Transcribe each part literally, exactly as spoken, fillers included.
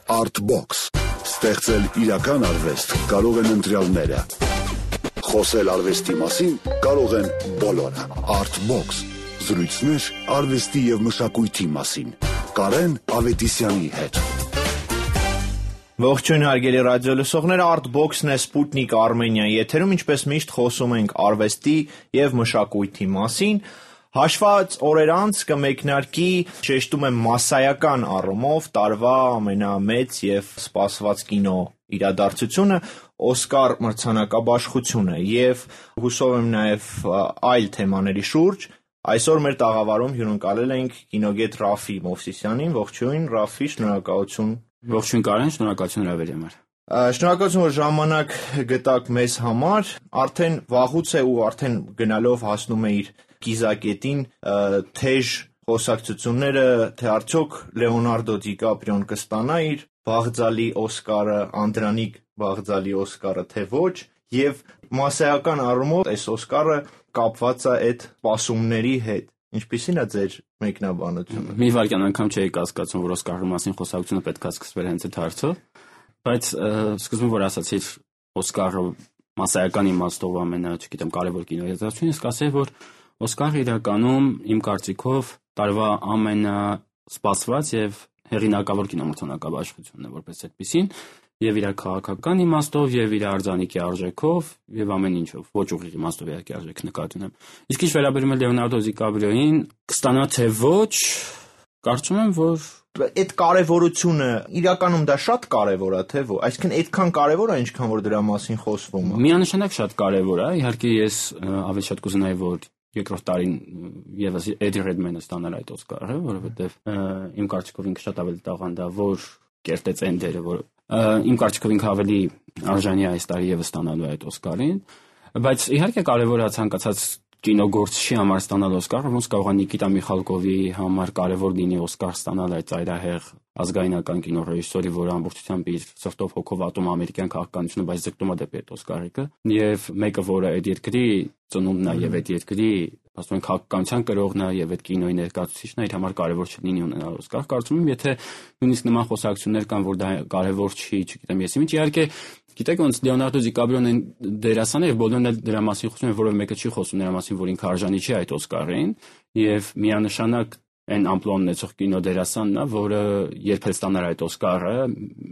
Artbox. Ստեղծել իրական արվեստ կարող են ընտրյալները։ Խոսել արվեստի մասին կարող են բոլորը։ Artbox. Զրույցներ արվեստի և մշակույթի մասին։ Կարեն Ավետիսյանի հետ։ Ողջույն հարգելի ռադիոլսողներ, Artbox-ն է Սպուտնիկ Արմենիայի եթերում, ինչպես միշտ խոսում ենք արվեստի և մշակույթի մասին։ Հաշված օրեր անց կմեկնարկի, շեշտում եմ մասսայական առումով, տարվա ամենամեծ և սպասված կինո իրադարձությունը Օսկար մրցանակաբաշխությունը և հուսով եմ նաև այլ թեմաների շուրջ։ Այսօր մեր տաղավարում հյուրընկալել ենք կինոգետ Ռաֆի Մովսիսյանին։ Ողջույն, Ռաֆի, շնորհակալություն։ Ողջույն Կարեն, շնորհակալություն հրավերի համար։ Շնորհակալություն, որ ժամանակ գտաք մեզ համար։ Արդեն վաղուց է ու արդեն գնալով հասնում է իր կիզակետին թեժ խոսակցությունները, թե արդյոք Լեոնարդո Դիկապրիոն կստանա իր բաղձալի Օսկարը, Անդրանիկ բաղձալի Օսկարը, թե ոչ, եւ մասսայական առումով այս Օսկարը կապված է այդ սպասումների հետ։ Ինչպիսին է ձեր մեկնաբանությունը։ Մի վայրկյան անգամ չէի կասկածում, որ Օսկարի մասին խոսակցությունը պետք է սկսվեր հենց այդ հարցով, բայց սկզբում որ ասացիր Օսկարը մասսայական իմաստով ամենա, չգիտեմ, կարևոր կինոյրատեսություն, իսկ ասեի, որ Օսկարը իրականում իմ կարծիքով տարվա ամենասպասված եւ հեղինակավոր կինոմրցանակաբաշխությունն է որպես այդպիսին, եւ իր քաղաքական իմաստով եւ իր արձանիկի արժեքով եւ ամեն ինչով, ոչ ուղիղ իմաստով իհարկե արժեք նկատի ունեմ։ Իսկ ինչ վերաբերում է Լեոնարդո Դիկապրիոին, կստանա թե ոչ, կարծում եմ, որ այդ կարևորությունը իրականում դա շատ կարևոր է, թե ոչ, այսինքն այդքան կարևոր է, ինչքան որ դրա մասին խոսվում է։ Միանշանակ շատ կարևոր է, իհարկե ես ավելի շատ կուզենայի, որ երկրորդ տարին եւս Էդի Ռեդմենը ստանալ այդ Օսկարը, որովհետեւ իմ կարծիքով ինքը շատ ավելի տաղանդ է, որ կերտեց այն դերը, որ իմ կարծիքով ինքը ավելի արժանի է այս տարի եւս ստանալու այդ Օսկարին, բայց իհարկե կարևոր է ցանկացած կինոգործչի համար ստանալ Օսկարը, ոնց կարող է Նիկիտա Միխալկովի համար կարևոր լինի Օսկար ստանալ այդ ծայրահեղ ազգայնական կինոռեժիսորի, որը ամբողջությամբ իր սրտով հոգով ատում ամերիկյան քաղաքականությունը, բայց ձգտում է դեպի այդ Օսկարիկը, եւ մեկը, որը այդ երկրի ծնունդն է եւ այդ երկրի, ասում են, քաղաքականության կրողն է եւ այդ կինոյի ներկայացուցիչն է, իր համար կարևոր չլինի ունենալ Օսկար։ Կարծում եմ, եթե նույնիսկ նման խոսակցություններ կան, որ դա կարևոր չի, չգիտեմ, ես ինչ, իհարկե գիտեք ոնց Լեոնարդո Դիկապրիոն այն դերասան է, եւ բոլորն էլ դրա մասին խոսում են, որովհետեւ մեկը չի խոսում նրա մասին, որ ինքը արժանի չի այդ Օսկարին, եւ միանշանակ այն ամպլոան ունեցող կինո դերասանն է, որը երբ էլ ստանար այդ Օսկարը,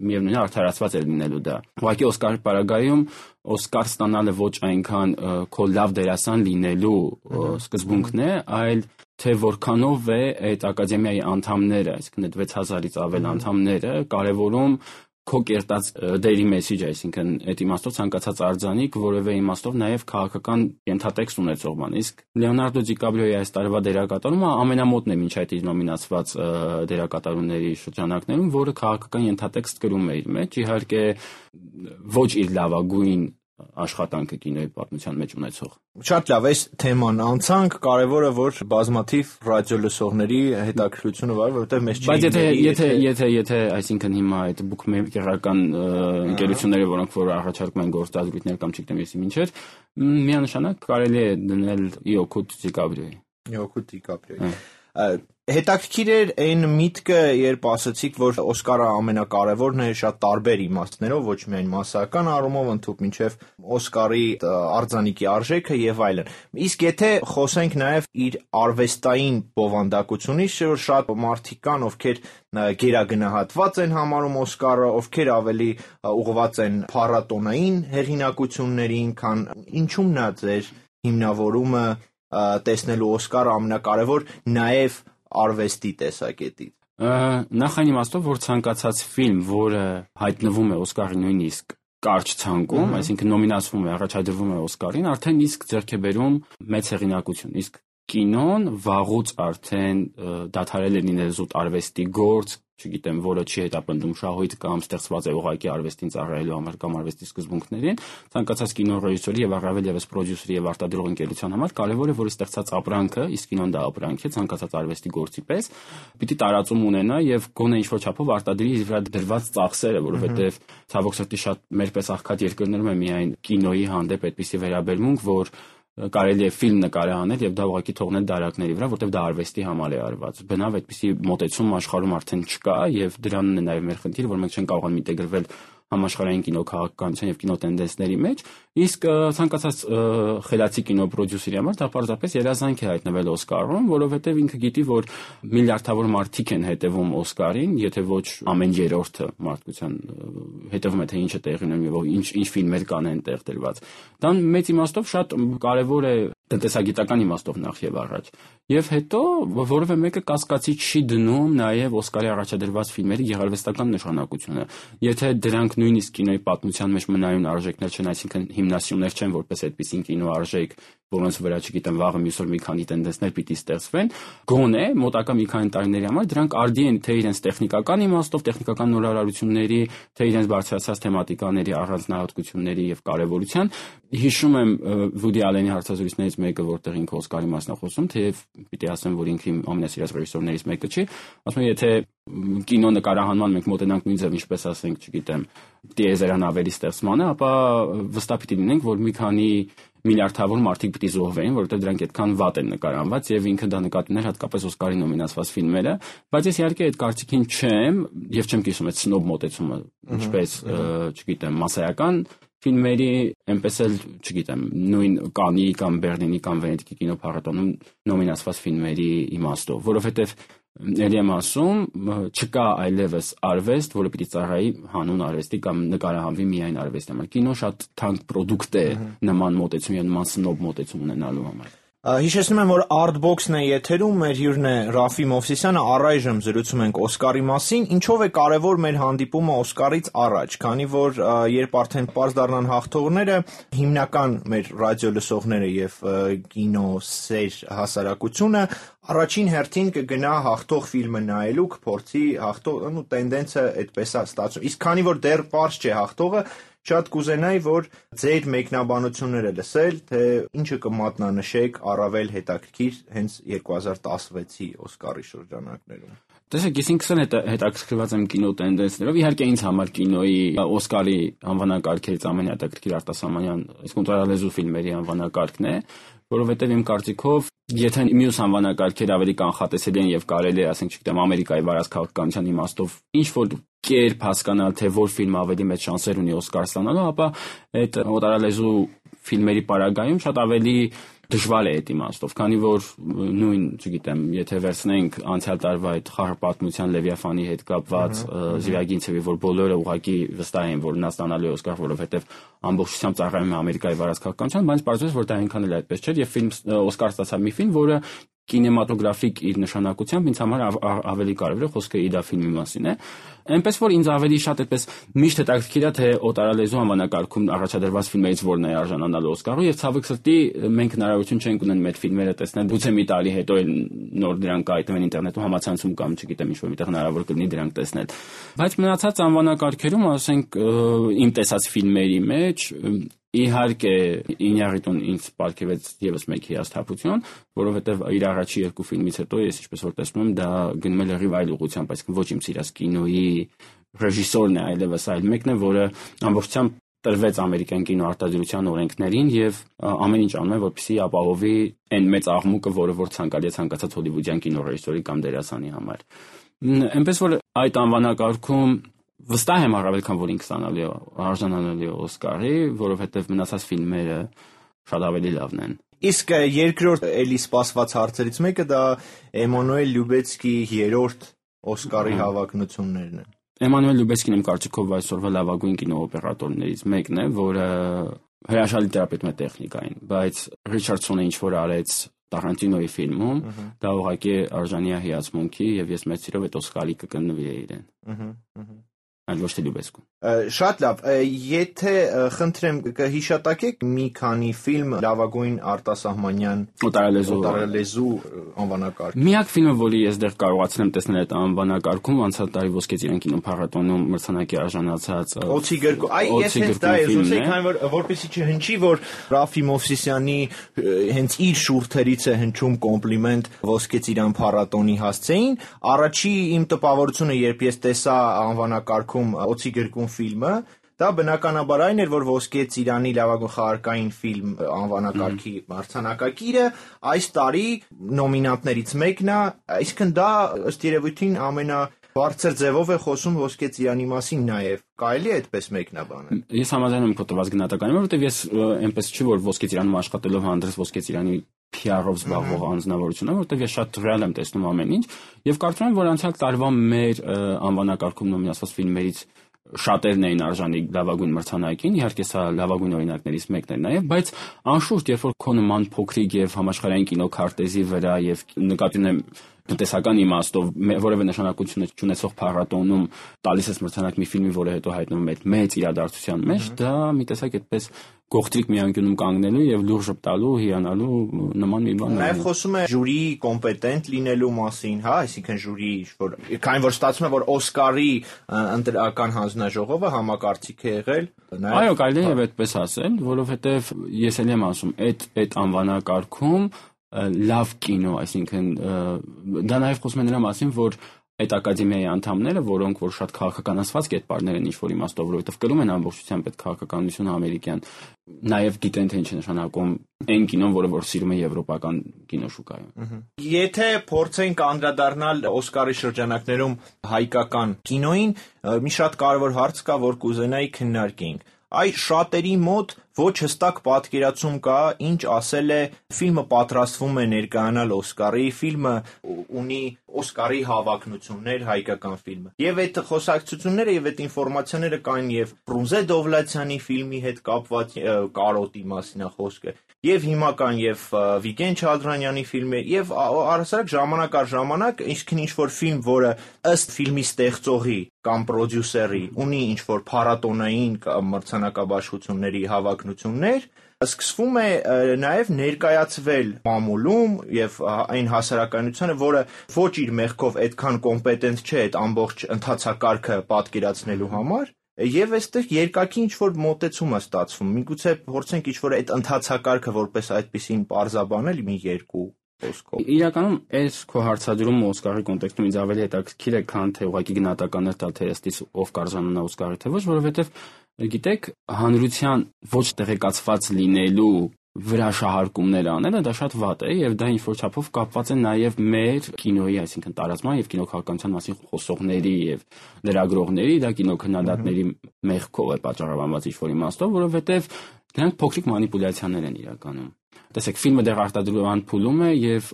միևնույն է արդարացված է լինելու դա։ Ուղղակի Օսկարի պարագայում Օսկար ստանալը ոչ այնքան քո լավ դերասան լինելու սկզբունքն է, այլ թե որքանով է այդ ակադեմիայի անդամները, այսինքն այդ վեց հազարից ավել անդամները կարևորում քո կերտած դերի մեսիջը, այսինքն այդ իմաստով ցանկացած արձանիկ որևէ իմաստով նաև քաղաքական ենթատեքստ ունեցող բան։ Իսկ Լեոնարդո Դիկապրիոյի այս տարվա դերակատարումը ամենամոտն է մինչ այդ իր նոմինացված դերակատարումների շրջանակներում, որը քաղաքական ենթատեքստ կրում է իր մեջ, իհարկե ոչ իր լավագույն աշխատանքը կինոյի պատմության մեջ ունեցող։ Շատ լավ, այս թեման անցանք, կարևորը որ բազմաթիվ ռադիոլսողների հետաքրքրությունը վար, որովհետև մեզ չի։ Բայց եթե եթե եթե եթե այսինքն հիմա այդ բուքմեյքերական ընկերությունները, որոնք որ առաջարկում են գործազրույցներ կամ չգիտեմ ես ինչեր, միանշանակ կարելի է դնել Իոկուտ Դիկապրիոյի։ Իոկուտ Դիկապրիոյի։ Հետաքրքիր էր այն միտքը, երբ ասացիք, որ Օսկարը ամենակարևորն է շատ տարբեր իմաստներով, ոչ միայն մասսայական առումով, ընդհանուր մինչև Օսկարի արձանիկի արժեքը եւ այլն։ Իսկ եթե խոսենք նաեւ իր արվեստային բովանդակությունից, որ շատ մարդիկ կան, ովքեր գերագնահատված են համարում Օսկարը, ովքեր ավելի ուղղված են փառատոնային հեղինակություններին, քան ինչու՞մն է ձեր հիմնավորումը տեսնելու Օսկարը ամենակարևոր նաև արվեստի տեսակետից։ Նախ այն իմաստով, որ ցանկացած ֆիլմ, որը հայտնվում է Օսկարի նույնիսկ կարճ ցանկում, այսինքն նոմինացվում է, առաջադրվում է Օսկարին, արդեն իսկ ձեռք է բերում մեծ հեղինակություն։ Իսկ կինոն վաղուց արդեն դադարել է լինել զուտ արվեստի գործ, չգիտեմ, որը չի հետապնդում շահույթ կամ ստեղծված է ուղղակի արվեստին ծառայելու համար կամ արվեստի սկզբունքներին, ցանկացած կինոռեժիսորի եւ առավել եւս պրոդյուսերի եւ արտադրող ընկերության համար կարեւոր է, որ ստեղծած ապրանքը, իսկ կինոն դա ապրանք է, ցանկացած արվեստի գործի պես, պիտի տարածում ունենա եւ գոնե ինչ-որ չափով արտադրի իր վրա դրված ծախսերը, որովհետեւ ցավոք սրտի շատ մեր պես աղքատ երկրներում է միայն կինոյի հանդեպ այդպիսի վերաբերմունք, որ կարելի է ֆիլմ նկարի անել եւ դա ուղղակի թողնել դարակների վրա, որտեղ դա արվեստի համար է արված։ Բնավ այդպիսի մոտեցում աշխարհում արդեն չկա եւ դրանն է նաեւ մեր խնդիրը, որ մենք չենք կարողանում ինտեգրվել համաշխարհային կինոքաղաքականության եւ կինոտենդենսների մեջ, իսկ ցանկացած խելացի կինոպրոդյուսերի համար դա պարզապես երազանք է հայտնվել Օսկարում, որովհետեւ ինքը գիտի, որ միլիարդավոր մարդիկ են հետևում Օսկարին, եթե ոչ ամեն երրորդը մարդկության հետևում է, թե ինչ է տեղի ունենում եւ ինչ ինչ ֆիլմեր կան այնտեղ դրված։ Դա մեծ իմաստով շատ կարեւոր է տնտեսագիտական իմաստով նախ եւ առաջ։ Եվ հետո որևէ մեկը կասկածի չի դնում նաեւ Օսկարի առաջադրված ֆիլմերի գեղարվեստական նշանակությունը։ Եթե դրանք նույնիսկ կինոյի պատմության մեջ մնայուն արժեքներ չեն, այսինքն հիմնասյուներ չեն, որպես այդպիսին կինո արժեք, որոնց վրա չգիտեմ վաղը մյուս օր մի քանի տենդենսներ պիտի ստեղծվեն, գոնե մոտակա մի քանի տարիների համար դրանք արդի են թե իրենց տեխնիկական իմաստով, տեխնիկական նորարարությունների, թե իրենց բարձրացած թեմատիկաների առանձնահատկությունների եւ կարեւորության։ Հիշում եմ Վուդի Ալենի հարցազրույցներից մեկը, որտեղ ինքը Օսկարի մասին է խոսում, թեև պիտի ասեմ, որ ինքը իմ ամենասիրած ռեժիսորներից մեկը չի, ասում է, եթե կինո նկարահանման մենք մոտենանք նույն ձև, ինչպես ասենք, չգիտեմ, տիեզերանավերի ստեղծմանը, ապա վստահ պիտի լինենք, որ մի քանի միլիարդավոր մարդիկ պիտի զոհվեին, որովհետև դրանք այդքան վատ են նկարահանված եւ ինքը դա նկատի ուներ հատկապես Օսկարի նոմինացված ֆիլմերը, բայց ես իհարկե այդ կարծիքին չեմ եւ չեմ կիսում այդ սնոբ մոտեցումը, ինչպես, չգիտեմ, մասսայական ֆիլմերի, այնպես էլ, չգիտեմ, նույն Կաննի կամ Բեռլինի կամ Վենետիկի կինոփառատոնում նոմինացված ֆիլմերի իմաստով, որովհետև ելի եմ ասում, չկա այլևս արվեստ, որը պիտի ծառայի հանուն արվեստի կամ նկարահանվի միայն արվեստի համար։ Կինո շատ թանկ պրոդուկտ է նման մոտեցում եւ նման սնոբ մոտեցում ունենալու համար։ Հիշեցնում եմ, որ Artbox-ն է եթերում, մեր հյուրն է Ռաֆի Մովսիսյանը, առայժմ զրուցում ենք Օսկարի մասին, ինչով է կարևոր մեր հանդիպումը Օսկարից առաջ, քանի որ երբ արդեն պարզ դառնան հաղթողները, հիմնական մեր ռադիո լսողները եւ կինոսեր հասարակությունը առաջին հերթին կգնա հաղթող ֆիլմը նայելու, կփորձի հաղթող, ու տենդենսը այդպես է ստացվում։ Իսկ քանի որ դեռ պարզ չէ հաղթողը, շատ կուզենայի, որ ձեր մեկնաբանությունները լսել, թե ինչը կմատնանշեք առավել հետաքրքիր հենց երկու հազար տասնվեցի Օսկարի շրջանակներում։ Տեսեք, ես ինքս էլ հետաքրքրված եմ կինո տենդենսներով, իհարկե ինձ համար կինոյի Օսկարի անվանակարգերից ամենահետաքրքիր արտասահմանյան, իսկ ընտրալեզու ֆիլմերի անվանակարգն է, որովհետև իմ կարծիքով, եթե մյուս անվանակարգեր ավելի կանխատեսելի են եւ կարելի է, ասենք, չգիտեմ, Ամերիկայի վարած քաղաքականության իմաստով ինչ որ կերպ հասկանալ, թե որ ֆիլմը ավելի մեծ շանսեր ունի Օսկար ստանալու, ապա այդ օտարալեզու ֆիլմերի պարագայում շատ ավելի դժվար է այդ իմաստով, քանի որ նույն, չգիտեմ, եթե վերցնենք անցյալ տարվա այդ խաղաղ պատմության Լևիաֆանի հետ կապված Զիրագինցևի, որ բոլորը ուղղակի վստահ են, որ նա ստանալու է Օսկար, որովհետև ամբողջությամբ ծառայում է Ամերիկայի վարած քաղաքականության, բայց պարզվեց, որ դա այնքան էլ այդպես չէր եւ ֆիլմ Օսկար ստացավ մի ֆիլմ, որը կինեմատոգրաֆիկ իր նշանակությամբ ինձ համար ավելի կարևոր է, խոսքը իդա ֆիլմի մասին է։ Այնպես որ ինձ ավելի շատ այդպես միշտ հետաքրքիր է, թե օտարալեզու անվանակարգում առաջադրված ֆիլմերից որն է արժանանալու Օսկարу, եւ ցավոք սրտի մենք հնարավորություն չենք ունենում այդ ֆիլմերը տեսնել, գուցե մի տարի հետո էլ նոր դրանք կայտնվեն ինտերնետում համացանցում կամ չգիտեմ ինչ որ միտեղ հնարավոր կլինի դրանք տեսնել։ Բայց մնացած անվանակարգերում, ասենք, իմ տեսած ֆիլմերի մեջ իհարկե Ինյարիտուն ինձ պարգևեց եւս մեկ հիասթափություն, որովհետեւ իր առաջի երկու ֆիլմից հետո ես ինչպես որ տեսնում եմ, դա գնում է լրիվ այլ ուղղությամբ, այսինքն ոչ իմ սիրած կինոյի ռեժիսորն է, այլևս այլ մեկն է, որը ամբողջությամբ տրվեց ամերիկյան կինոարտադրության օրենքներին եւ ամեն ինչ անում է, որպեսզի ապահովի այն մեծ աղմուկը, որը որ ցանկալի է ցանկացած հոլիվուդյան կինոռեժիսորի կամ դերասանի համար։ Այնպես որ այդ անվանակարգում վստահ եմ առավել քան որ ինքը ստանալու է արժանանալու Օսկարի, որովհետև մնացած ֆիլմերը շատ ավելի լավն են։ Իսկ երկրորդ էլի սպասված հարցերից մեկը դա Էմանուել Լյուբեցկի երրորդ Օսկարի հավակնություններն են։ Էմանուել Լյուբեցկին իմ կարծիքով այսօրվա լավագույն կինոօպերատորներից մեկն է, որը հրաշալի տերապետում է տեխնիկային, բայց Ռիչարդսոնը ինչ որ արեց Տարանտինոյի ֆիլմում, դա ուղղակի արժանի է հիացմունքի եւ ես մեծ սիրով այդ Օսկարի կգնվի իրեն։ Այլ ոչ թե Լյուբեսկու։ Շատ լավ, եթե խնդրեմ կհիշատակեք մի քանի ֆիլմ լավագույն արտասահմանյան օտարալեզու օտարալեզու անվանակարգ։ Միակ ֆիլմը, որի ես դեռ կարողացել եմ տեսնել այդ անվանակարգում, անցյալ տարի Ոսկե ծիրան կինոփառատոնում մրցանակի արժանացած Օցի գրկում։ Այ ես հենց դա եմ ուզում, քանի որ որպեսզի չհնչի, որ Ռաֆի Մովսիսյանի հենց իր շուրթերից է հնչում կոմպլիմենտ Ոսկե ծիրան փառատոնի հասցեին, առաջի իմ տպավորությունը, երբ ես տեսա անվանակարգ Օցի գրկում ֆիլմը, դա բնականաբար այն էր, որ Ոսկե ծիրանի լավագույն խաղարկային ֆիլմ անվանակարգի մրցանակակիրը այս տարի նոմինանտներից մեկն է, այսինքն դա ըստ երևույթին ամենա բարձր ձևով է խոսում Ոսկե ծիրանի մասին նաև։ Կարելի է այդպես մեկնաբանել։ Ես համաձայն եմ քո տված գնահատականին, որովհետև ես այնպես չի, որ Ոսկե ծիրանում աշխատելով հանդերձ Ոսկե ծիրանի P R-ով զբաղվող անձնավորություն է, որովհետև ես շատ ռեալ եմ տեսնում ամեն ինչ, եւ կարծում եմ, որ անցյալ տարվա մեր անվանակարգում նոմինացված ֆիլմերից շատերն էին արժանի լավագույն մրցանակին, իհարկե սա լավագույն օրինակներից մեկն է նաև, բայց անշուշտ երբ որ քո նման փոքրիկ եւ համաշխարհային կինոքարտեզի վրա եւ նկատի ունեմ տնտեսական իմաստով որևէ նշանակություն չունեցող փառատոնում տալիս ես մրցանակ մի ֆիլմի, որը հետո հայտնվում է մեծ իրադարձության մեջ, դա մի տեսակ այդպես գողտրիկ մի անկյունում կանգնելու եւ լուրջ ժպտալու, հիանալու նման մի բան է։ Նաեւ խոսում է ժյուրիի կոմպետենտ լինելու մասին, հա, այսինքն ժյուրի, որ քանի որ ստացվում է, որ Օսկարի ընտրական հանձնաժողովը համակարծիք է եղել, նաեւ այո, կարելի է այդպես ասել, որովհետեւ ես էլ եմ ասում, այդ այդ անվանակարգում լավ կինո, այսինքն դա նաև խոսում է նրա մասին, որ այդ ակադեմիայի անդամները, որոնք որ շատ քաղաքականացված կերպարներ են ինչ-որ իմաստով, որովհետև կրում են ամբողջությամբ այդ քաղաքականությունը ամերիկյան, նաև գիտեն թե ինչ է նշանակում այն կինոն, որը որ սիրում է եվրոպական կինոշուկայում։ Եթե փորձենք անդրադառնալ Օսկարի շրջանակներում հայկական կինոյին, մի շատ կարևոր հարց կա, որ կուզենայի քննարկենք։ Այս շատերի մոտ ոչ հստակ պատկերացում կա, ինչ ասել է ֆիլմը պատրաստվում է ներկայանալ Օսկարի, ֆիլմը ունի Օսկարի հավակնություններ, հայկական ֆիլմը։ Եվ այդ խոսակցությունները եւ այդ ինֆորմացիաները կային եւ Ֆրունզե Դովլաթյանի ֆիլմի հետ կապված կարոտի մասին է խոսքը, եւ հիմա կան եւ Վիգեն Չադրանյանի ֆիլմը, եւ առհասարակ ժամանակ առ ժամանակ ինչ-քան ինչ-որ ֆիլմ, որը ըստ ֆիլմի ստեղծողի կամ պրոդյուսերի ունի ինչ-որ փառատոնային մրցանակաբաշխությունների հավակնություններ, սկսվում է նաև ներկայացվել մամուլում եւ այն հասարակայնությանը, որը ոչ իր մեղքով այդքան կոմպետենտ չէ այդ ամբողջ ընթացակարգը պատկերացնելու համար, եւ այստեղ երկակի ինչ-որ մոտեցում է ստացվում։ Միգուցե փորձենք ինչ-որ այդ ընթացակարգը որպես այդպեսին պարզաբանել մի երկու խոսքով։ Իրականում այս քո հարցադրումը Օսկարի կոնտեքստում ինձ ավելի հետաքրքիր է, քան թե ուղղակի գնահատականներ տալ թե ըստիս ով կարժանանա Օսկարի թե ոչ, որովհետև գիտեք, հանրության ոչ տեղեկացված լինելու վրա շահարկումներ անելը դա շատ վատ է եւ դա ինչ-որ չափով կապված է նաեւ մեր կինոյի, այսինքն տարածման եւ կինոքաղաքականության մասին խոսողների եւ լրագրողների, դա կինոքննադատների մեղքով է պատճառաբանված ինչ-որ իմաստով, որովհետեւ դրանք փոքրիկ մանիպուլյացիաներ են իրականում։ Տեսեք, ֆիլմը դեռ արտադրության փուլում է եւ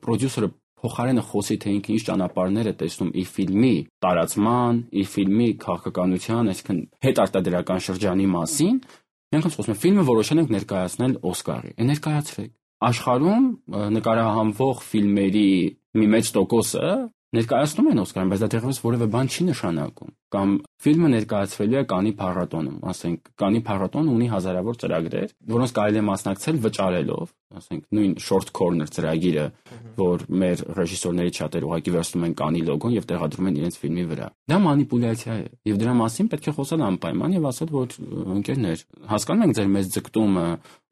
պրոդյուսերը փոխարենը խոսի թե ինքը ինչ ճանապարհներ է տեսնում իր ֆիլմի տարածման, իր ֆիլմի քաղաքականության, այսինքն հետարտադրական շրջանի մասին, մենք խոսում ենք ֆիլմը որոշել ենք ներկայացնել Օսկարի։ Է ներկայացրեք։ Աշխարհում նկարահանվող ֆիլմերի մի մեծ տոկոսը ներկայացնում են Օսկարին, բայց դա դեռևս որևէ բան չի նշանակում։ Կամ ֆիլմը ներկայացվելու է Կանի փառատոնում, ասենք Կանի փառատոնը ունի հազարավոր ծրագրեր, որոնց կարելի է մասնակցել վճարելով, ասենք նույն Short Corner ծրագիրը, որ մեր ռեժիսորների շատերը ուղղակի վերցնում են Կանի լոգոն եւ տեղադրում են իրենց ֆիլմի վրա։ Դա մանիպուլյացիա է, եւ դրա մասին պետք է խոսել անպայման եւ ասել, որ ընկերներ, հասկանում ենք ձեր մեծ ձգտումը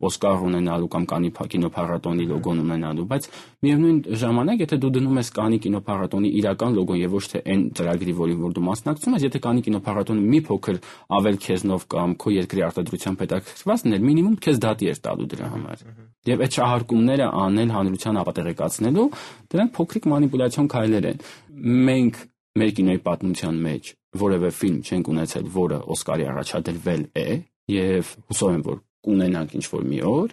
Օսկար ունենալու կամ Կանի կինոփառատոնի լոգոն ունենալու, բայց միևնույն ժամանակ, եթե դու դնում ես Կանի կինոփառատոնի իրական լոգոն եւ ոչ թե այն ծրագրի, որին որ դու մասնակցում ես, եթե Կանի կինոփառատոնը մի փոքր ավել քեզնով կամ քո երկրի արտադրությամբ հետաքրքրված լիներ, մինիմում քեզ դատի էր տալու դրա համար։ Եվ այդ շահարկումները անել հանրության ապատեղեկացնելու, դրանք փոքրիկ մանիպուլյացիոն քայլեր են։ Մենք մեր կինոյի պատմության մեջ որևէ ֆիլմ չենք ունեցել, որը Օսկարի առաջադրվել է, եւ հուսով եմ, որ կունենանք ինչ-որ մի օր,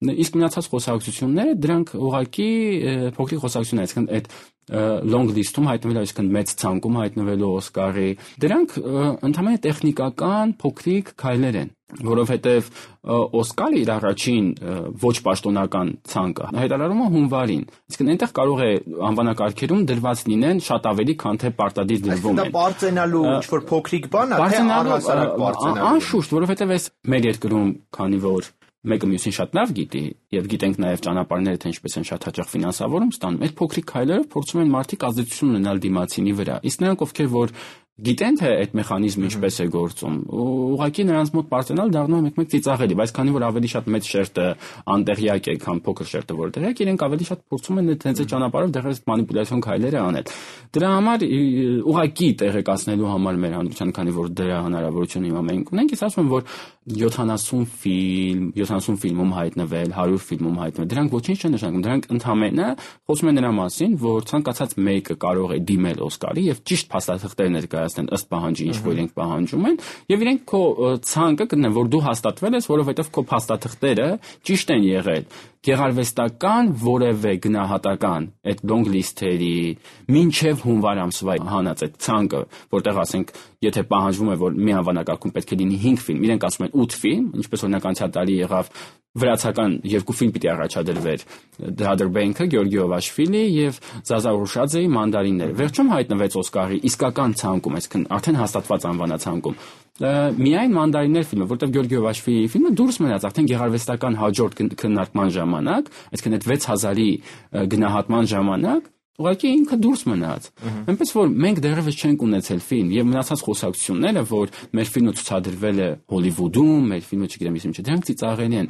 իսկ մնացած խոսակցությունները դրանք ուղղակի փոքրիկ խոսակցություններ, այսինքն այդ long list-ում հայտնվելու, այսինքն մեծ ցանկում հայտնվելու Օսկարի, դրանք ընդհանրապես տեխնիկական փոքրիկ քայլեր են, որովհետև Օսկարը իր առաջին ոչ պաշտոնական ցանկը հայտարարում է հունվարին, իսկ այնտեղ կարող է անվանակարգերում դրված լինեն շատ ավելի, քան թե պարտադիր դրվում են։ Դա բարձենալու ինչ-որ փոքրիկ բան է, թե առհասարակ բարձենալու։ Անշուշտ, որովհետև այս մեր երկրում, քանի որ մեկը մյուսին շատ լավ գիտի եւ գիտենք նաեւ ճանապարհները թե ինչպես են շատ հաճախ ֆինանսավորում ստանում, այդ փոքրիկ քայլերով փորձում են մարդիկ ազդեցություն ունենալ դիմացինի վրա։ Իսկ նրանք, ովքեր որ գիտեն թե այդ մեխանիզմը ինչպես է գործում։ Ուղղակի նրանց մոտ պարծենալ դառնում է մեկ-մեկ ծիծաղելի, բայց քանի որ ավելի շատ մեծ շերտը անտեղյակ է, քան փոքր շերտը որ տեղյակ, իրենք ավելի շատ փորձում են այդ հենց այդ ճանապարհով դեռ մանիպուլյացիոն քայլերը անել։ Դրա համար ուղղակի տեղեկացնելու համար մեր հանրության, քանի որ դրա հնարավորությունը հիմա մենք ունենք, ես ասում եմ, որ յոթանասուն ֆիլմ, յոթանասուն ֆիլմում հայտնվել, հարյուր ֆիլմում հայտնվել, դրանք ոչինչ չեն նշանակում, դրանք ընդհանրապես խոսում են նրա մասին, որ ցանկացած մեկը կարող է դիմել Օսկարի եւ ճիշտ փաստաթղթեր ներկայացնել ըստ պահանջի, ինչ որ իրենք պահանջում են, եւ իրենք քո ցանկը գտնեն, որ դու հաստատվել ես, որովհետեւ քո փաստաթղթերը ճիշտ են եղել։ Գեղարվեստական որևէ գնահատական այդ long list-երի մինչև հունվար ամսվա հանած այդ ցանկը, որտեղ ասենք, եթե պահանջվում է, որ մի անվանակարգում պետք է լինի հինգ ֆիլմ, իրենք ասում են ութ ֆիլմ, ինչպես օրինակ անցյալ տարի եղավ վրացական երկու ֆիլմ պիտի առաջադրվեր The Other Bank-ը Գեորգի Օվաշվիլի եւ Զազա Ռուշաձեի Մանդարինները։ Վերջում հայտնվեց Օսկարի իսկական ցանկում, այսինքն արդեն հաստատված անվանացանկում միայն Մանդարիններ ֆիլմը, որտեղ Գեորգի Օվաշվիլի ֆիլմը դուրս մնաց արդեն գեղարվեստական հաջորդ քննարկման ժամանակ, այսինքն այդ վեց հազարի գնահատման ժամանակ ուղղակի ինքը դուրս մնաց։ Այնպես որ մենք դեռևս չենք ունեցել ֆիլմ եւ մնացած խոսակցությունները, որ մեր ֆիլմը ցուցադրվել է Հոլիվուդում, մեր ֆիլմը չգիտեմ ինչ չէ, դրանք ծիծաղելի են։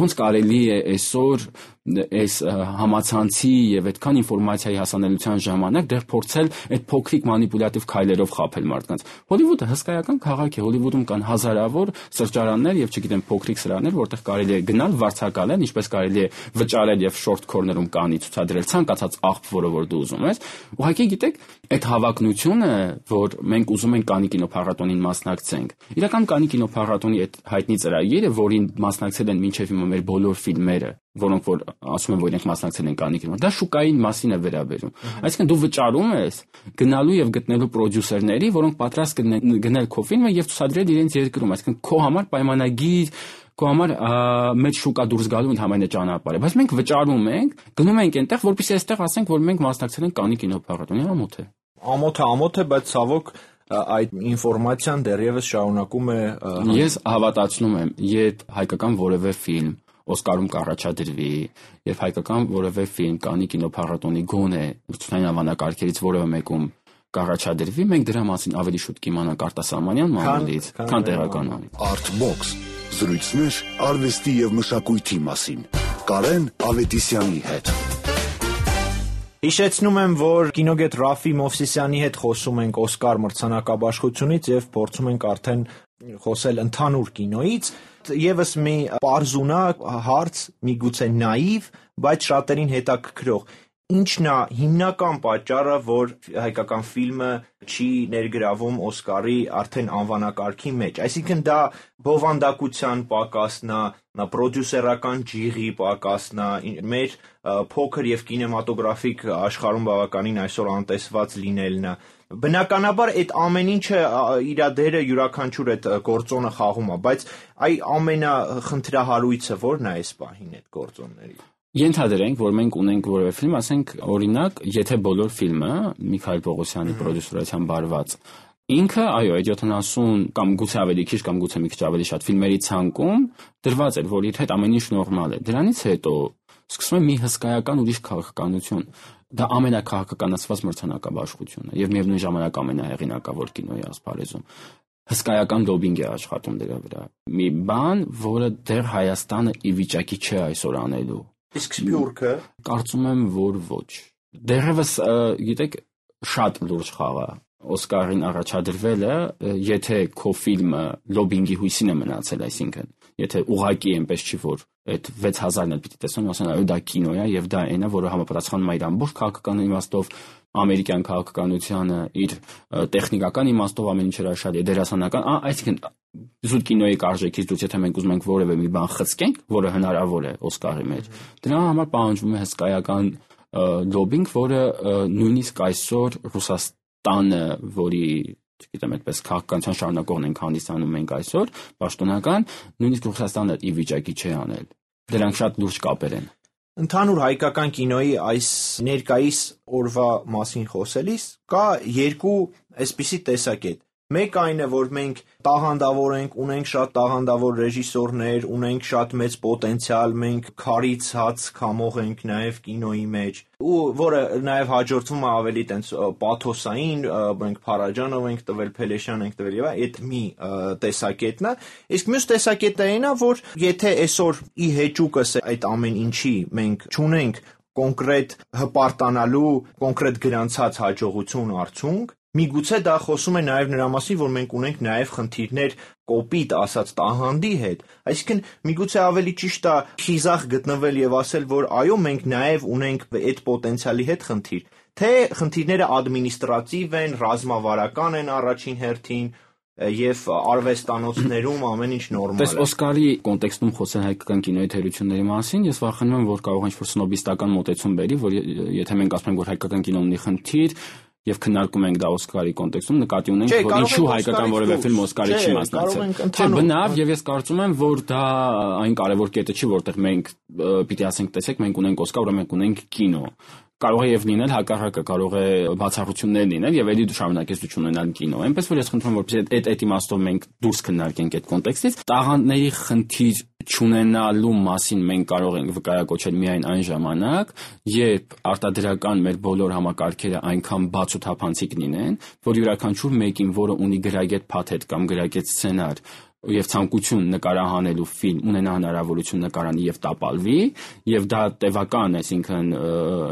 Ոնց կարելի է այսօր այս համացանցի եւ այդքան ինֆորմացիայի հասանելիության ժամանակ դեռ փորձել այդ փոքրիկ մանիպուլյատիվ քայլերով խաբել մարդկանց։ Հոլիվուդը հսկայական քաղաք է, Հոլիվուդում կան հազարավոր սրճարաններ եւ չգիտեմ փոքրիկ սրաներ, որտեղ կարելի է գնալ, վարձակալել, ինչպես կարելի է վճարել եւ շորտ քորներում կանի ցուցադրել ցանկացած աղբ, որը որ դու ուզում ես։ Ուղղակի գիտեք, այդ հավակնությունը, որ մենք ուզում ենք Կաննի կինոփառատոնին մասնակցենք, իրական Կաննի կինոփառատոնի այդ հայտնի ծրագիրը, որին մասնակցել են մինչև հիմա մեր բոլոր ֆիլմերը, որոնք որ ասում են, որ իրենք մասնակցել են Կաննի կինո, դա շուկային մասին է վերաբերում։ Այսինքն դու վճարում ես գնալու եւ գտնելու պրոդյուսերների, որոնք պատրաստ կլինեն գնել քո ֆիլմը եւ ցուցադրել իրենց երկրում, այսինքն քո համար պայմանագիր քո համար մեծ շուկա դուրս գալու ընդհանրապես ճանապարհ է, բայց մենք վճարում ենք, գնում ենք այնտեղ, որպեսզի այստեղ ասենք, որ մենք մասնակցել ենք Կաննի կինոփառատոնի, ամոթ է։ Ամոթ է, ամոթ է, բայց ցավոք այդ ինֆորմացիան դեռևս շարունակում է։ Ես հավատացնում եմ, երբ հայկական որևէ ֆիլմ Օսկարում կառաջադրվի, եւ հայկական որևէ ֆիլմ Կաննի կինոփառատոնի գոնե ցուցային անվանակարգերից որևէ մեկում կառաջադրվի, մենք դրա մասին ավելի շուտ կիմանանք արտասահմանյան մամուլից, քան տեղական։ Artbox զրույցներ արվեստի եւ մշակույթի մասին։ Կարեն Ավետիսյանի հետ։ Հիշեցնում եմ, որ կինոգետ Ռաֆի Մովսիսյանի հետ խոսում ենք Օսկար մրցանակաբաշխությունից եւ փորձում ենք արդեն խոսել ընդհանուր կինոից։ Եվս մի պարզունակ հարց, միգուցե նաիվ, բայց շատերին հետաքրքրող։ Ինչն է հիմնական պատճառը, որ հայկական ֆիլմը չի ներգրավում Օսկարի արդեն անվանակարգի մեջ։ Այսինքն դա բովանդակության պակասն է, նա պրոդյուսերական ջիղի պակասն է, մեր փոքր եւ կինեմատոգրաֆիկ աշխարհում բավականին այսօր անտեսված լինելն է։ Բնականաբար այդ ամեն ինչը իր դերը յուրաքանչյուր այդ գործոնը խաղում է, բայց այ ամենախնդրահարույցը ո՞րն է այս պահին այդ գործոնների։ Ենթադրենք, որ մենք ունենք որևէ ֆիլմ, ասենք օրինակ, եթե բոլոր ֆիլմը Միքայել Պողոսյանի պրոդյուսերությամբ բարված, ինքը, այո, այդ յոթանասուն կամ գուցե ավելի քիչ կամ գուցե մի քիչ ավելի շատ ֆիլմերի ցանկում դրված էր, որ իր հետ ամեն ինչ նորմալ է։ Դրանից հետո սկսում է մի հսկայական ուրիշ քաղաքականություն։ Դա ամենակահաղականացված մրցանակաբաշխությունն է եւ միևնույն ժամանակ ամենահեղինակավոր կինոյի ասպարեզում։ Հսկայական լոբինգ է աշխատում դրա վրա։ Մի բան, որը դեռ Հայաստանը ի վիճակի չէ այսօր անելու։ Իսկ Սփյուռքը կարծում եմ, որ ոչ։ Դեռևս, գիտեք, շատ լուրջ խաղ է Օսկարին առաջադրվելը, եթե քո ֆիլմը լոբինգի հույսին է մնացել, այսինքն, եթե ուղղակի այնպես չի, որ այդ վեց հազարն էլ պիտի տեսնեն, ասեն, այո, դա կինո է եւ դա այն է, որը համապատասխանում է իր ամբողջ քաղաքական իմաստով, ամերիկյան քաղաքականությանը, իր տեխնիկական իմաստով ամեն ինչ հրաշալի է, դերասանական, այսինքն զուտ կինոյի արժեքից դուրս, եթե մենք ուզում ենք որևէ մի բան խցկենք, որը հնարավոր է Օսկարի մեջ, դրա համար պահանջվում է հսկայական լոբինգ, որը նույնիսկ այսօր Ռուսաստանը, որի չգիտեմ, այդպես քաղաքականության շարունակողն ենք հանդիսանում մենք այսօր, պաշտոնական, նույնիսկ Ռուսաստանը ի վիճակի չէ անել։ Դրանք շատ լուրջ կապեր են։ Ընդհանուր հայկական կինոյի այս ներկայիս օրվա մասին խոսելիս կա երկու այսպիսի տեսակետ։ Մեկ այն է, որ մենք տաղանդավոր ենք, ունենք շատ տաղանդավոր ռեժիսորներ, ունենք շատ մեծ պոտենցիալ, մենք քարից հաց քամող ենք նաև կինոյի մեջ, ու որը նաև հաջորդվում է ավելի տենց պաթոսային, մենք Փարաջանով ենք տվել, Փելեշյան ենք տվել եւ այդ մի տեսակետն է, իսկ մյուս տեսակետը այն է, որ եթե այսօր ի հեճուկս այդ ամեն ինչի մենք չունենք կոնկրետ հպարտանալու, կոնկրետ գրանցած հաջողություն արդյունք, միգուցե դա խոսում է նաև նրա մասին, որ մենք ունենք նաև խնդիրներ կոպիտ ասած տաղանդի հետ, այսինքն միգուցե ավելի ճիշտ է խիզախ գտնվել եւ ասել, որ այո, մենք նաև ունենք այդ պոտենցիալի հետ խնդիր, թե խնդիրները ադմինիստրատիվ են, ռազմավարական են առաջին հերթին, եւ արվեստանոցներում ամեն ինչ նորմալ է։ Դες Օսկարի կոնտեքստում խոսել հայկական կինոյի թերությունների մասին, ես վախենում եմ, որ կարող է ինչ-որ սնոբիստական մոտեցում բերի, որ եթե մենք ասում ենք, որ հայկական կինոն ունի խնդիր, եւ քննարկում ենք դա Օսկարի կոնտեքստում, նկատի ունենք, որ ինչու հայկական որևէ ֆիլմ Օսկարի չի մասնակցել։ Չէ, բնավ, եւ ես կարծում եմ, որ դա այն կարևոր կետը չի, որտեղ մենք պիտի ասենք, տեսեք, մենք ունենք Օսկար, ուրեմն մենք ունենք կինո։ Կարող է եւ լինել հակառակը, կարող է բացառություններ լինել եւ ելի շարունակեցություն ունենալ կինո։ Այնպես որ ես խնդրում եմ, որպեսզի այդ այդ իմաստով մենք դուրս քննարկենք այդ կոնտեքստից, տաղանդների խնդիր չունենալու մասին մենք կարող ենք վկայակոչել միայն այն ժամանակ, երբ արտադրական մեր բոլոր համակարգերը այնքան բաց ու թափանցիկ լինեն, որ յուրաքանչյուր մեկին, որը ունի գրագետ փաթեթ կամ գրագետ սցենար եւ ցանկություն նկարահանելու ֆիլմ ունենա հնարավորություն նկարանի եւ տապալվի եւ դա տևական, այսինքն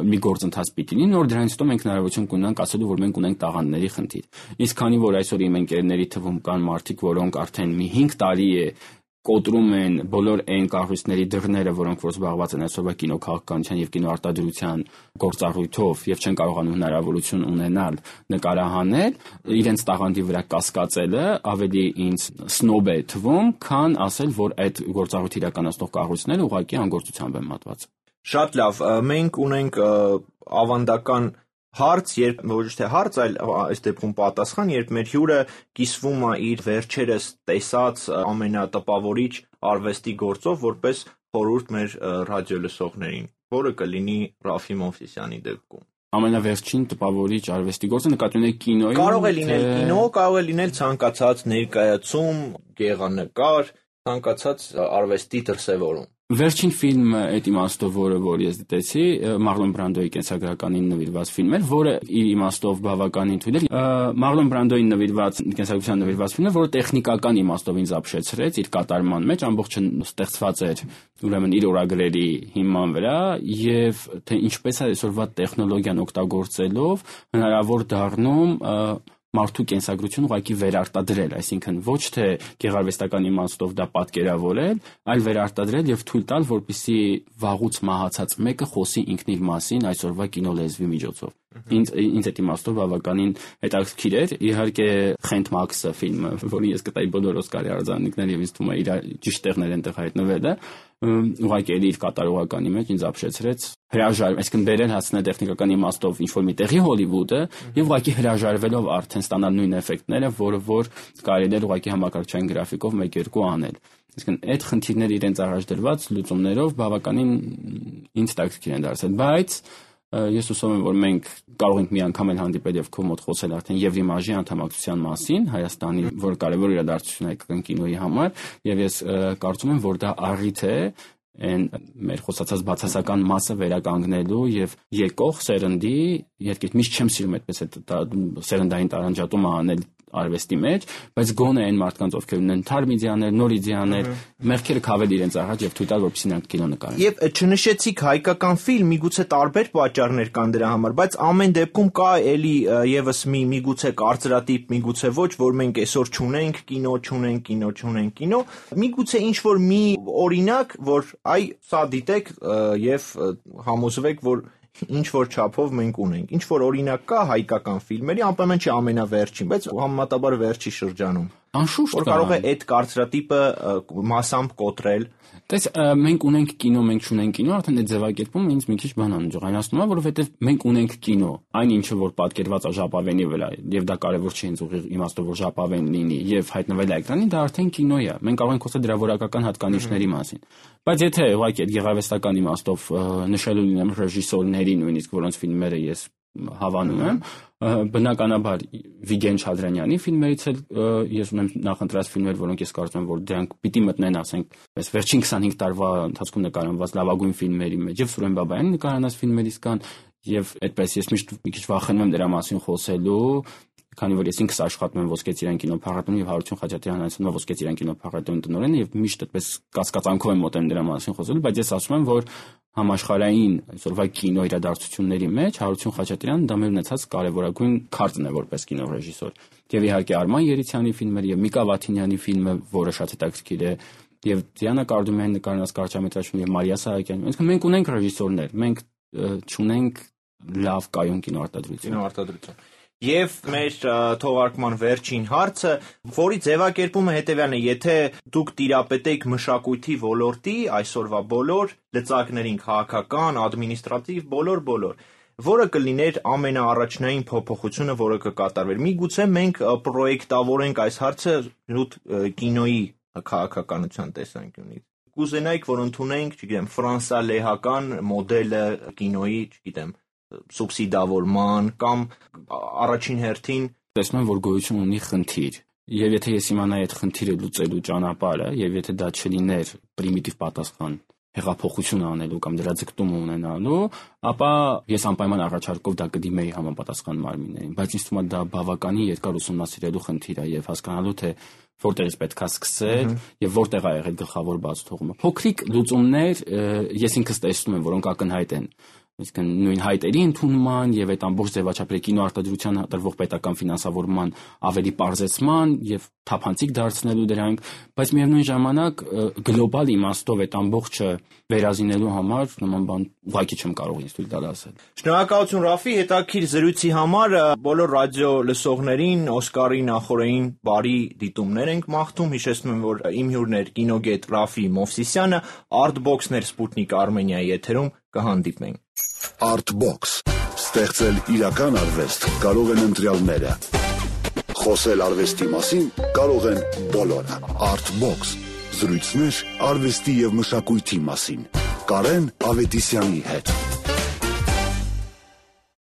մի գործընթաց պիտի լինի, նոր դրանից հետո մենք հնարավորություն կունենանք ասելու, որ մենք ունենք տաղանդների խնդիր։ Իսկ քանի որ այսօր իմ ընկերների թվում կան մարդիկ, որոնք արդեն մի հինգ տարի է կոտրում են բոլոր այն կառույցների դռները, որոնք որ զբաղված են այսօրվա կինոքաղաքականության եւ կինոարտադրության գործառույթով եւ չեն կարողանում հնարավորություն ունենալ նկարահանել, իրենց տաղանդի վրա կասկածելը ավելի ինձ սնոբ է թվում, քան ասել, որ այդ գործառույթը իրականացնող կառույցները ուղղակի անգործությամբ են մատված։ Շատ լավ, մենք ունենք ավանդական հարց, երբ ոչ թե հարց, այլ այս դեպքում պատասխան, երբ մեր հյուրը կիսվում է իր վերջերս տեսած ամենատպավորիչ արվեստի գործով, որպես խորհուրդ մեր ռադիոլսողներին, որը կլինի Ռաֆի Մովսիսյանի դեպքում։ Ամենավերջին տպավորիչ արվեստի գործը նկատի ունեք կինոյում։ Կարող է լինել կինո, կարող է լինել ցանկացած ներկայացում, գեղանկար, ցանկացած արվեստի դրսևորում։ Վերջին ֆիլմը այդ իմաստով, որը որ ես դիտեցի, Մարլոն Բրանդոյի կենսագրականին նվիրված ֆիլմ էր, որը իր իմաստով բավականին թույլ էր։ Մարլոն Բրանդոյին նվիրված կենսագրության նվիրված ֆիլմը, որը տեխնիկական իմաստով ինձ ապշեցրեց իր կատարման մեջ, ամբողջը ստեղծված էր ուրեմն իր օրագրերի հիման վրա, եւ թե ինչպես է այսօրվա տեխնոլոգիան օգտագործելով հնարավոր դառնում մարդու կենսագրություն ուղղակի վերարտադրել, այսինքն ոչ թե գեղարվեստական իմաստով դա պատկերավորել, այլ վերարտադրել եւ թույլ տալ, որպեսզի վաղուց մահացած մեկը խոսի ինքն իր մասին այսօրվա կինոլեզվի միջոցով։ Ինձ ինձ այդ իմաստով բավականին հետաքրքիր էր, իհարկե Խենթ Մաքսը ֆիլմը, որին ես գտայի բոլոր Օսկարի արձանիկները եւ ինձ թվում է իր ճիշտ տեղներ են տեղ հայտնվել է, ուղղակի իր կատարողականի մեջ ինձ ապշեցրեց հրաժար, այսինքն բերել հասնել տեխնիկական իմաստով ինչ-որ մի տեղի Հոլիվուդը եւ ուղղակի հրաժարվելով արդեն ստանալ նույն էֆեկտները, որը որ կարելի էր ուղղակի համակարգչային գրաֆիկով մեկ-երկու անել։ Այսինքն այդ խնդիրները իրենց առաջ դրված լուծումներով բավականին ինձ տակտիկ են դարձել, բայց ես հուսով եմ, որ մենք կարող ենք մի անգամ էլ հանդիպել եւ քո մոտ խոսել արդեն Եվրիմաժի անդամակցության մասին Հայաստանի, որ կարևոր իրադարձություն է հայկական կինոյի համար, եւ ես կարծում եմ, որ դա առիթ է այն մեր խոսացած բացասական մասը վերականգնելու եւ եկող սերնդի, երկիդ միշտ չեմ սիրում այդպես այդ սերնդային տարանջատումը անել արվեստի մեջ, բայց գոնե այն մարդկանց, ովքեր ունեն թարմ իդեաներ, նոր իդեաներ, մեղքերը քավել իրենց առաջ եւ թույլ տալ, որպեսզի նրանք կինո նկարեն։ Եվ չնշեցիք հայկական ֆիլմ, միգուցե տարբեր պատճառներ կան դրա համար, բայց ամեն դեպքում կա էլի եւս մի միգուցե կարծրատիպ, միգուցե ոչ, որ մենք այսօր չունենք կինո, չունենք կինո, չունենք կինո, միգուցե ինչ որ մի օրինակ, որ այ սա դիտեք եւ համոզվեք, որ ինչ որ չափով մենք ունենք։ Ինչ որ օրինակ կա հայկական ֆիլմերի, անպայման չի ամենավերջին, բայց համեմատաբար վերջի շրջանում։ Անշուշտ որ կարող է այդ կարծրատիպը մասամբ կոտրել։ Տես մենք ունենք կինո, մենք չունենք կինո, արդեն այդ ձևակերպումը ինձ մի քիչ բանան ջղայնացնում է, որովհետև մենք ունենք կինո, այն ինչը որ պատկերված է ժապավենի վրա, եւ դա կարեւոր չի ինձ ուղիղ իմաստով որ ժապավեն լինի եւ հայտնվել է էկրանին, դա արդեն կինո է։ Մենք կարող ենք խոսել դրա որակական հատկանիշների մասին։ Բայց եթե ուղղակի այդ գեղարվեստական իմաստով նշելու լինեմ ռեժիսորների նույնիսկ, որոնց ֆիլմերը ես հավանում եմ, բնականաբար Վիգեն Չադրանյանի ֆիլմերից էլ ես ունեմ նախընտրած ֆիլմեր, որոնք ես կարծում եմ, որ դրանք պիտի մտնեն, ասենք, այս վերջին քսանհինգ տարվա ընթացքում նկարահանված լավագույն ֆիլմերի մեջ, եւ Սուրեն Բաբայանի նկարահանած ֆիլմերից կան, եւ այդպես ես միշտ մի քիչ վախենում եմ դրա մասին խոսելու, քանի որ ես ինքս աշխատում եմ Ոսկե ծիրան կինոփառատոնում եւ Հարություն Խաչատրյանը անցնում Ոսկե ծիրան կինոփառատոնի տնօրենը եւ միշտ այդպես կասկածանքով եմ մոտենում դրա մասին խոսելու, բայց ես ասում եմ, որ համաշխարհային այսօրվա կինո իրադարձությունների մեջ Հարություն Խաչատրյանը դա մեր ունեցած կարևորագույն քարտն է որպես կինոռեժիսոր։ Եվ իհարկե Արման Երիցյանի ֆիլմերը եւ Միկա Վաթինյանի ֆիլմը, որը շատ հետաքրքիր է, եւ Դիանա Կարդումյանի նկարահանած կարճամետրաժ ֆիլմ եւ Մարիա Սահակյանի։ Այսինքն մենք ունենք ռեժիսորներ, մենք չունենք լավ կայուն կինոարտադրություն։ Կինոարտադրություն։ Եվ մեր թողարկման վերջին հարցը, որի ձևակերպումը հետևյալն է, եթե դուք տիրապետեիք մշակույթի ոլորտի, այսօրվա բոլոր լծակներին, քաղաքական, ադմինիստրատիվ, բոլոր-բոլոր, որը կլիներ ամենաառաջնային փոփոխությունը, որը կկատարվեր։ Միգուցե մենք պրոյեկտավորենք այս հարցը նույն կինոյի քաղաքականության տեսանկյունից։ Կուզենայիք, որ ընդունենք, չգիտեմ, ֆրանսալեհական մոդելը կինոյի, չգիտեմ, սուբսիդավորման կամ առաջին հերթին տեսնում եմ, որ գոյություն ունի խնդիր, եւ եթե ես իմանայի այդ խնդիրը լուծելու ճանապարհը, եւ եթե դա չլիներ պրիմիտիվ պատասխան հեղափոխություն անելու կամ դրա ձգտումը ունենալու, ապա ես անպայման առաջարկով դա կդիմեի համապատասխան մարմիններին, բայց ինձ թվում է դա բավականին երկար ուսումնասիրելու խնդիր է եւ հասկանալու թե որտեղից պետք է սկսել եւ որտեղ է եղել գլխավոր բացթողումը։ Փոքրիկ լուծումներ ես ինքս տեսնում եմ, որոնք ակնհայտ են, այսինքն նույն հայտերի ընդունման եւ այդ ամբողջ ձևաչափերի կինոարտադրության տրվող պետական ֆինանսավորման ավելի պարզեցման եւ թափանցիկ դարձնելու դրանք, բայց միևնույն ժամանակ գլոբալ իմաստով այդ ամբողջը վերազինելու համար նման բան ուղղակի չեմ կարող ինձ թույլ տալ ասել։ Շնորհակալություն Ռաֆի, հետաքրքիր զրույցի համար, բոլոր ռադիո լսողներին Օսկարի նախօրեին բարի դիտումներ ենք մաղթում, հիշեցնում եմ, որ իմ հյուրն էր կինոգետ Ռաֆի Մովսիսյանը, Artbox-ներ Սպուտնիկ Արմենիայի եթերում կհանդիպենք։ Artbox. Ստեղծել իրական արվեստ կարող են ընտրյալները։ Խոսել արվեստի մասին կարող են բոլորը։ Artbox. Զրույցներ արվեստի եւ մշակույթի մասին։ Կարեն Ավետիսյանի հետ։